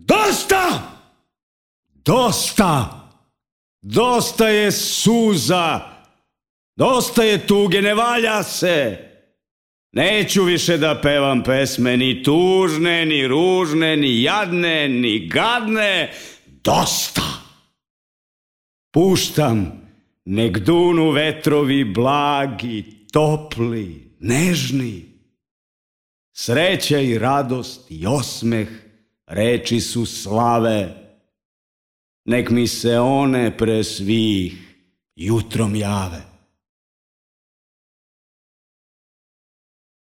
Dosta! Dosta! Dosta je suza! Dosta je tuge, ne valja se! Neću više da pevam pesme, ni tužne, ni ružne, ni jadne, ni gadne. Dosta! Puštam, nek dunu vetrovi blagi, topli, nežni. Sreća i radost i osmeh reči su slave. Nek mi se one pre svih jutrom jave.